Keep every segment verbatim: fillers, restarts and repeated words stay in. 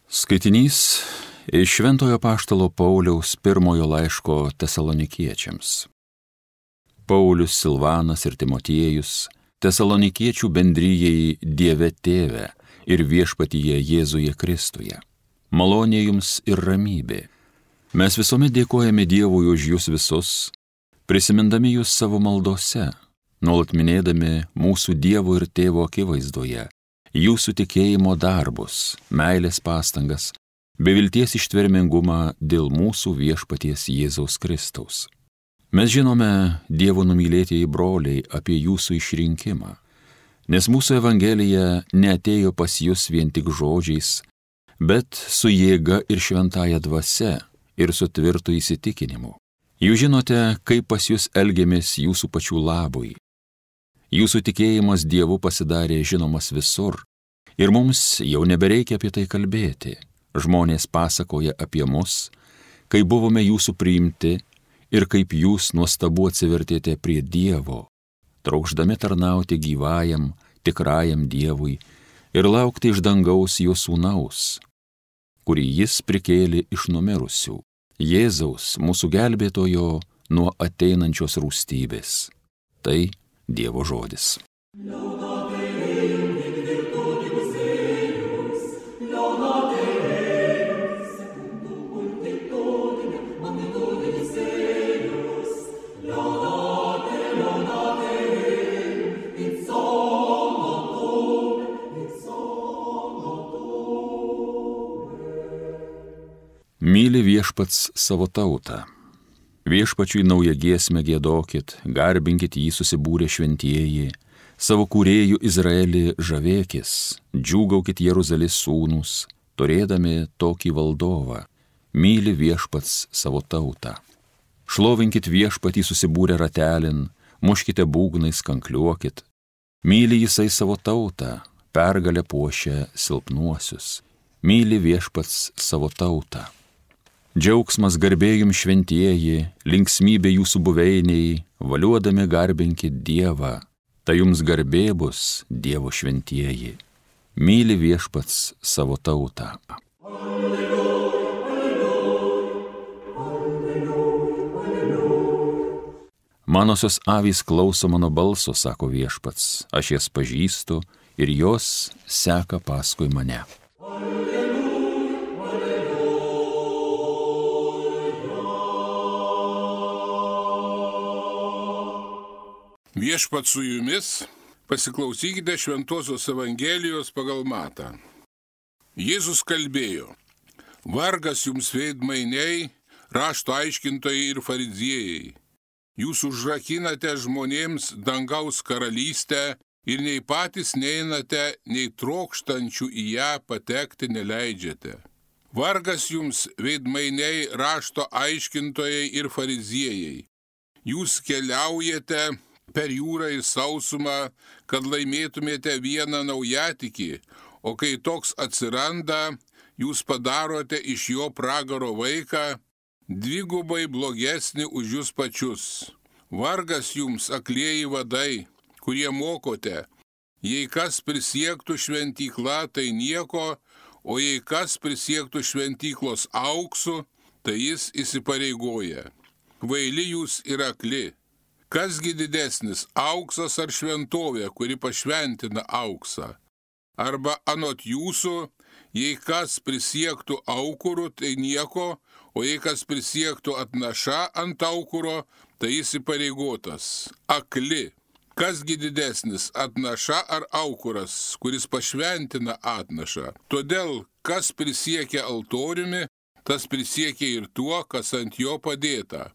Skaitinys iš Šventojo apaštalo Pauliaus pirmojo laiško Tesalonikiečiams. Paulius, Silvanas ir Timotiejus, Tesalonikiečių bendrijai Dieve Tėve ir Viešpatyje Jėzuje Kristuje. Malonė jums ir ramybė. Mes visuomet dėkojame Dievui už jūs visus, prisimindami jūs savo maldose, nuolat minėdami mūsų Dievo ir Tėvo akivaizdoje, jūsų tikėjimo darbus, meilės pastangas, bei vilties ištvermingumą dėl mūsų Viešpaties Jėzaus Kristaus. Mes žinome, Dievo numylėtieji broliai, apie jūsų išrinkimą, nes mūsų evangelija neatėjo pas jūs vien tik žodžiais, bet su jėga ir šventąja dvasia ir su tvirtu įsitikinimu. Jūs žinote, kaip pas jūs elgiamės jūsų pačių labui. Jūsų tikėjimas Dievu pasidarė žinomas visur, ir mums jau nebereikia apie tai kalbėti. Žmonės pasakoja apie mus, kai buvome jūsų priimti ir kaip jūs nuostabu atsivertėte prie Dievo, trokšdami tarnauti gyvajam, tikrajam Dievui ir laukti iš dangaus jo sūnaus, kurį jis prikėlė iš numirusių, Jėzaus, mūsų gelbėtojo, nuo ateinančios rūstybės. Tai Dievo žodis. Myli viešpats savo tautą. Viešpačiui naują giesmę giedokit, garbinkit jį susibūrę šventieji, savo kūrėjų Izraelį žavėkis, džiūgaukit Jeruzalės sūnus, turėdami tokį valdovą. Myli viešpats savo tautą. Šlovinkit viešpatį susibūrę ratelin, muškite būgnais, kankliuokit. Myli jisai savo tautą, pergalę puošia silpnuosius. Myli viešpats savo tautą. Džiaugsmas garbėjum šventieji, linksmybė jūsų buveiniai, valiuodami garbinkit Dievą, tai jums garbė bus Dievo šventieji. Myli viešpats savo tautą. Manosios avys klauso mano balso, sako viešpats, aš jas pažįstu ir jos seka paskui mane. Viešpats su jumis, pasiklausykite Šventosios Evangelijos pagal Matą. Jėzus kalbėjo: Vargas jums veidmainiai, rašto aiškintojai ir fariziejai. Jūs užrakinate žmonėms dangaus karalystę ir nei patys neinate, nei trokštančių į ją patekti neleidžiate. Vargas jums veidmainiai, rašto aiškintojai ir fariziejai. Jūs keliaujate per jūrą ir sausumą, kad laimėtumėte vieną naujatikį, o kai toks atsiranda, jūs padarote iš jo pragaro vaiką, dvigubai blogesnį už jūs pačius. Vargas jums, aklieji vadai, kurie mokote, jei kas prisiektų šventykla, tai nieko, o jei kas prisiektų šventyklos auksu, tai jis įsipareigoja. Kvaili jūs ir akli. Kasgi didesnis, auksas ar šventovė, kuri pašventina auksą? Arba anot jūsų, jei kas prisiektų aukuru, tai nieko, o jei kas prisiektų atnaša ant aukuro, tai jis įpareigotas. Akli. Kasgi didesnis, atnaša ar aukuras, kuris pašventina atnašą? Todėl, kas prisiekia altoriumi, tas prisiekia ir tuo, kas ant jo padėta.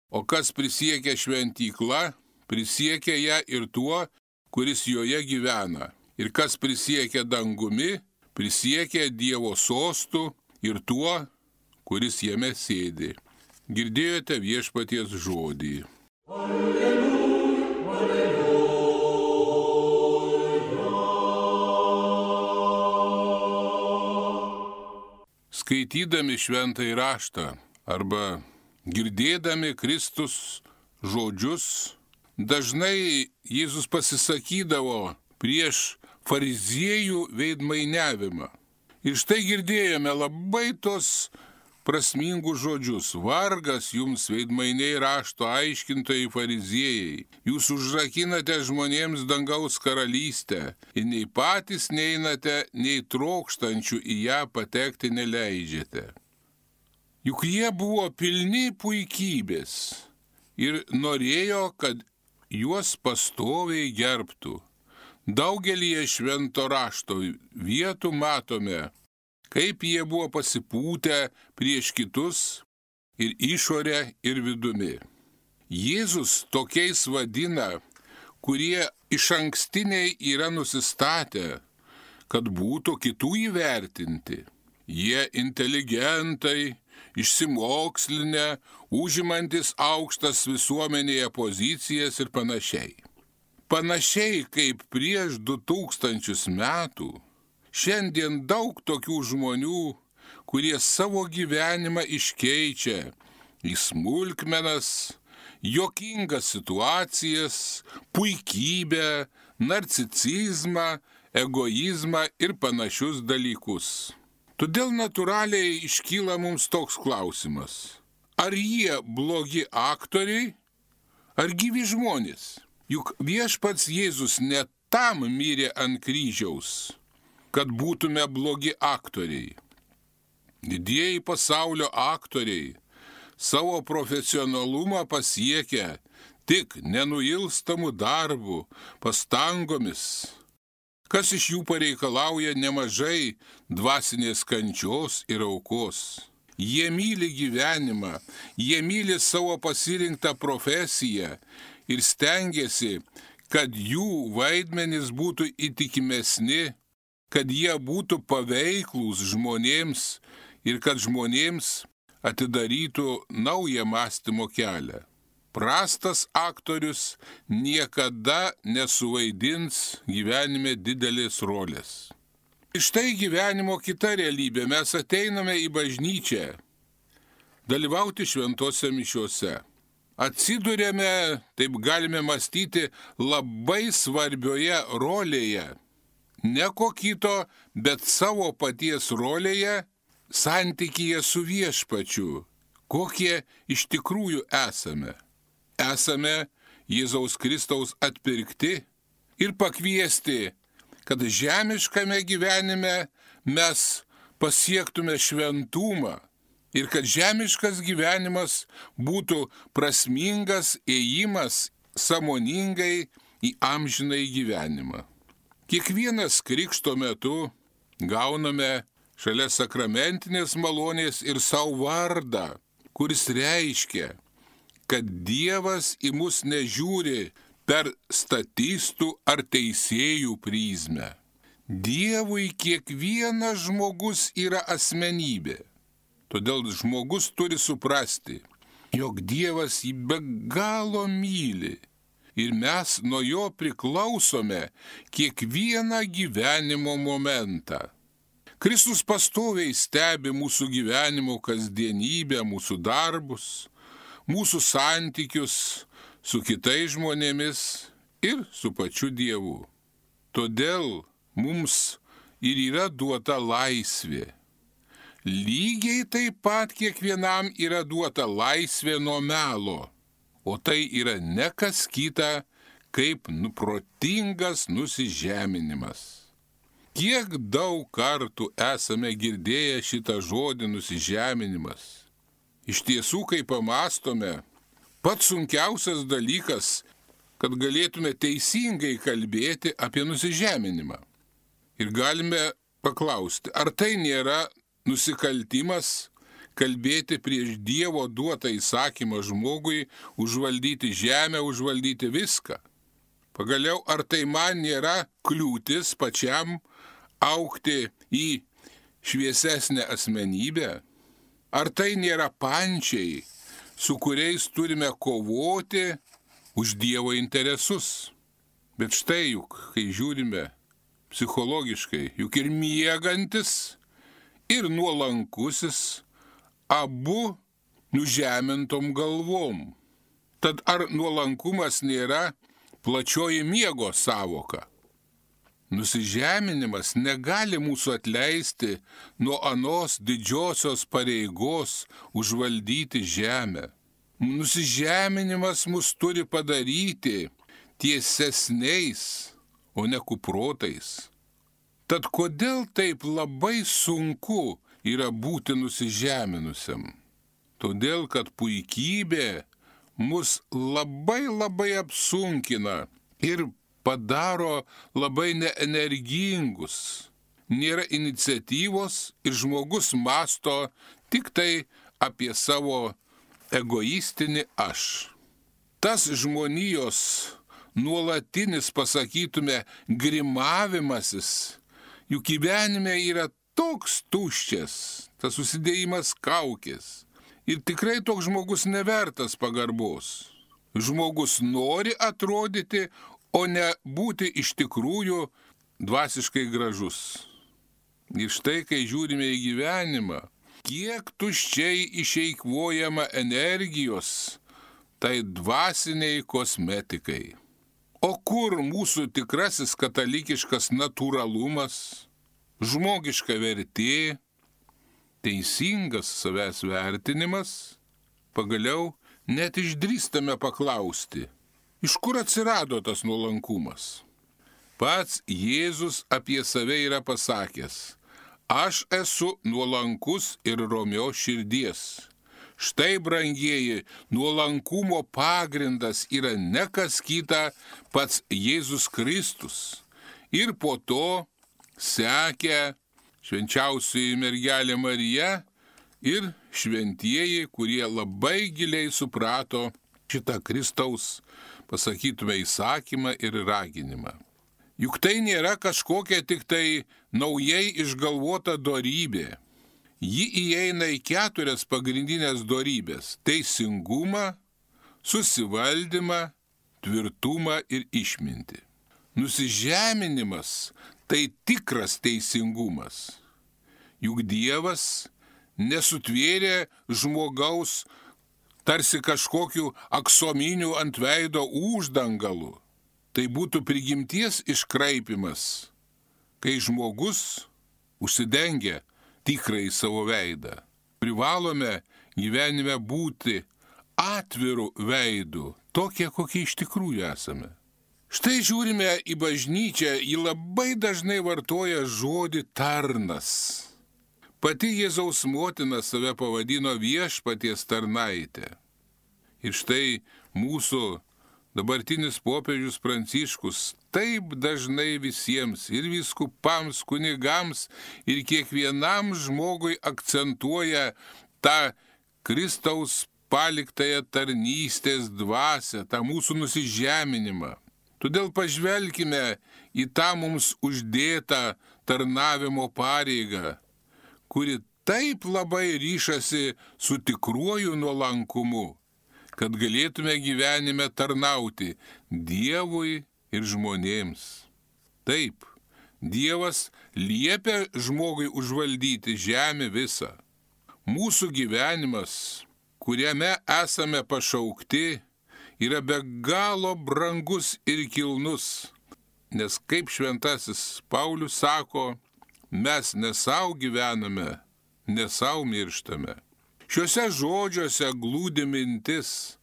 O kas prisiekia šventykla, prisiekia ją ir tuo, kuris joje gyvena. Ir kas prisiekia dangumi, prisiekia Dievo sostu ir tuo, kuris jame sėdi. Girdėjote viešpaties žodį. Alleluja, alleluja. Skaitydami šventąjį raštą arba girdėdami Kristus žodžius, dažnai Jėzus pasisakydavo prieš fariziejų veidmainiavimą. Ir štai girdėjome labai tos prasmingus žodžius. Vargas jums, veidmainiai, rašto aiškintojai, fariziejai. Jūs užrakinate žmonėms dangaus karalystę ir nei patys neinate, nei trokštančių į ją patekti neleidžiate. Juk jie buvo pilni puikybės ir norėjo, kad juos pastoviai gerbtų. Daugelį švento rašto vietų matome, kaip jie buvo pasipūtę prieš kitus ir išorę ir vidumi. Jėzus tokiais vadina, kurie išankstiniai yra nusistatę, kad būtų kitų įvertinti. Jie inteligentai, išsimokslinę, užimantis aukštas visuomenėje pozicijas ir panašiai. Panašiai kaip prieš du tūkstančius metų, šiandien daug tokių žmonių, kurie savo gyvenimą iškeičia į smulkmenas, juokingas situacijas, puikybę, narcisizmą, egoizmą ir panašius dalykus. Todėl natūraliai iškyla mums toks klausimas. Ar jie blogi aktoriai, ar gyvi žmonės? Juk viešpats Jėzus ne tam mirė ant kryžiaus, kad būtume blogi aktoriai. Didieji pasaulio aktoriai savo profesionalumą pasiekia tik nenuilstamų darbų, pastangomis, kas iš jų pareikalauja nemažai dvasinės kančios ir aukos. Jie myli gyvenimą, jie myli savo pasirinktą profesiją ir stengiasi, kad jų vaidmenys būtų įtikimesni, kad jie būtų paveiklūs žmonėms ir kad žmonėms atidarytų naują mąstymo kelią. Prastas aktorius niekada nesuvaidins gyvenime didelės rolės. Ir štai gyvenimo kita realybė. Mes ateiname į bažnyčią dalyvauti šventose mišiose. Atsiduriame, taip galime mąstyti, labai svarbioje rolėje. Ne ko kito, bet savo paties rolėje, santykyje su viešpačiu, kokie iš tikrųjų esame. Esame Jėzaus Kristaus atpirkti ir pakviesti, kad žemiškame gyvenime mes pasiektume šventumą ir kad žemiškas gyvenimas būtų prasmingas ėjimas sąmoningai į amžinąjį gyvenimą. Kiekvienas krikšto metu gauname šalia sakramentinės malonės ir savo vardą, kuris reiškia, kad Dievas į mus nežiūri per statistų ar teisėjų prizmę. Dievui kiekvienas žmogus yra asmenybė. Todėl žmogus turi suprasti, jog Dievas jį be galo myli ir mes nuo jo priklausome kiekvieną gyvenimo momentą. Kristus pastoviai stebi mūsų gyvenimo kasdienybę, mūsų darbus, mūsų santykius su kitais žmonėmis ir su pačiu Dievu. Todėl mums ir yra duota laisvė. Lygiai taip pat kiekvienam yra duota laisvė nuo melo, o tai yra ne kas kita, kaip nuprotingas nusižeminimas. Kiek daug kartų esame girdėję šitą žodį nusižeminimas. Iš tiesų, kai pamastome, pats sunkiausias dalykas, kad galėtume teisingai kalbėti apie nusižeminimą. Ir galime paklausti, ar tai nėra nusikaltimas kalbėti prieš Dievo duotą įsakymą žmogui užvaldyti žemę, užvaldyti viską. Pagaliau, ar tai man nėra kliūtis pačiam augti į šviesesnę asmenybę? Ar tai nėra pančiai, su kuriais turime kovoti už Dievo interesus? Bet štai juk, kai žiūrime psichologiškai, juk ir miegantis, ir nuolankusis, abu nužemintom galvom. Tad ar nuolankumas nėra plačioji miego sąvoka? Nusižeminimas negali mūsų atleisti nuo anos didžiosios pareigos užvaldyti žemę. Nusižeminimas mus turi padaryti tiesesniais, o ne kuprotais. Tad kodėl taip labai sunku yra būti nusižeminusiam? Todėl, kad puikybė mus labai labai apsunkina ir padaro labai neenergingus. Nėra iniciatyvos ir žmogus masto tik tai apie savo egoistinį aš. Tas žmonijos nuolatinis, pasakytume, grimavimasis, juk gyvenime yra toks tuščias, tas susidėjimas kaukės. Ir tikrai toks žmogus nevertas pagarbos. Žmogus nori atrodyti, o ne būti iš tikrųjų dvasiškai gražus. Ir štai, kai žiūrime į gyvenimą, kiek tuščiai išeikvojama energijos tai dvasiniai kosmetikai. O kur mūsų tikrasis katalikiškas natūralumas, žmogiška vertė, teisingas savęs vertinimas? Pagaliau net išdrįstame paklausti, iš kur atsirado tas nuolankumas? Pats Jėzus apie save yra pasakęs: aš esu nuolankus ir romios širdies. Štai, brangieji, nuolankumo pagrindas yra ne kas kita, pats Jėzus Kristus. Ir po to sekė švenčiausioji mergelė Marija ir šventieji, kurie labai giliai suprato šitą Kristaus, pasakytume, įsakymą ir raginimą. Juk tai nėra kažkokia tik tai naujai išgalvota dorybė. Ji įeina į keturias pagrindinės dorybės – teisingumą, susivaldymą, tvirtumą ir išmintį. Nusižeminimas – tai tikras teisingumas. Juk Dievas nesutvėrė žmogaus tarsi kažkokiu aksominiu ant veido uždangalu. Tai būtų prigimties iškraipimas, kai žmogus užsidengia tikrai savo veidą. Privalome gyvenime būti atviru veidu, tokie, kokie iš tikrųjų esame. Štai žiūrime į bažnyčią, ji labai dažnai vartoja žodį tarnas. Pati Jėzaus motina save pavadino viešpaties tarnaitė. Ir štai mūsų dabartinis popiežius Pranciškus taip dažnai visiems, ir vyskupams, kunigams, ir kiekvienam žmogui akcentuoja tą Kristaus paliktąją tarnystės dvasią, tą mūsų nusižeminimą. Todėl pažvelkime į tą mums uždėtą tarnavimo pareigą, kuri taip labai ryšasi su tikruoju nuolankumu, kad galėtume gyvenime tarnauti Dievui ir žmonėms. Taip, Dievas liepia žmogui užvaldyti žemę visą. Mūsų gyvenimas, kuriame esame pašaukti, yra be galo brangus ir kilnus, nes kaip šventasis Paulius sako, mes ne savo gyvename, ne savo mirštame. Šiuose žodžiuose glūdi mintis,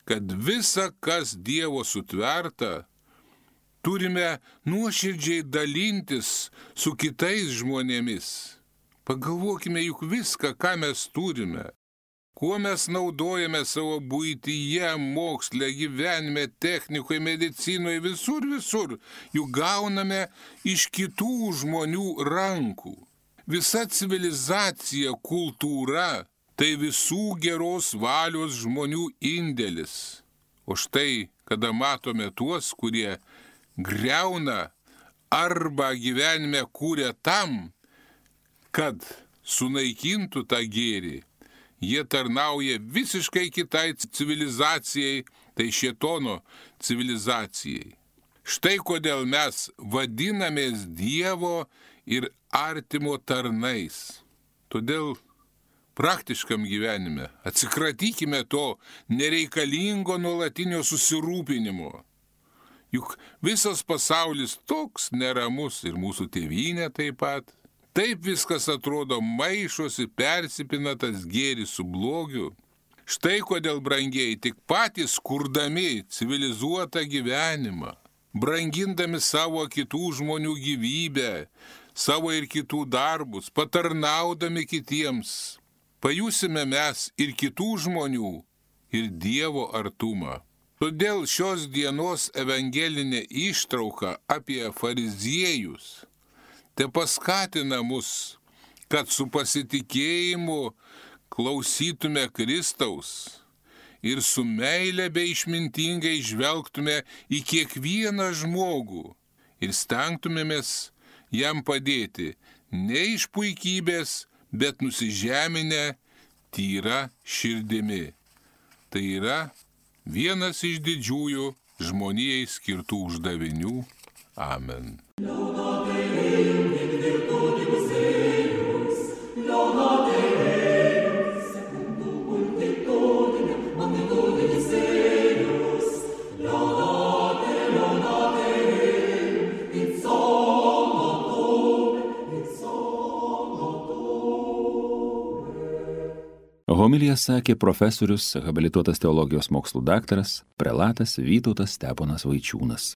kad visa, kas Dievo sutverta, turime nuoširdžiai dalintis su kitais žmonėmis. Pagalvokime juk viską, ką mes turime, kuo mes naudojame savo buityje, moksle, gyvenime, technikoje, medicinoje, visur, visur, juk gauname iš kitų žmonių rankų. Visa civilizacija, kultūra, tai visų geros valios žmonių indėlis. O štai, kada matome tuos, kurie griauna arba gyvenime kūrė tam, kad sunaikintų tą gėrį, jie tarnauja visiškai kitai civilizacijai, tai šėtono civilizacijai. Štai kodėl mes vadinamės Dievo ir artimo tarnais. Todėl praktiškam gyvenime atsikratykime to nereikalingo nuolatinio susirūpinimo. Juk visas pasaulis toks neramus ir mūsų tėvynė taip pat. Taip viskas atrodo maišosi, persipina tas gėris su blogiu. Štai kodėl, brangieji, tik patys kurdami civilizuotą gyvenimą, brangindami savo kitų žmonių gyvybę, savo ir kitų darbus, patarnaudami kitiems, pajusime mes ir kitų žmonių, ir Dievo artumą. Todėl šios dienos evangelinė ištrauka apie fariziejus te paskatina mus, kad su pasitikėjimu klausytume Kristaus ir su meile bei išmintingai žvelgtume į kiekvieną žmogų ir stengtumėmės jam padėti ne iš puikybės, bet nusižeminę tyra širdimi. Tai yra vienas iš didžiųjų žmonijai skirtų uždavinių. Amen. Homiliją sakė profesorius, habilituotas teologijos mokslų daktaras, prelatas Vytautas Steponas Vaičiūnas.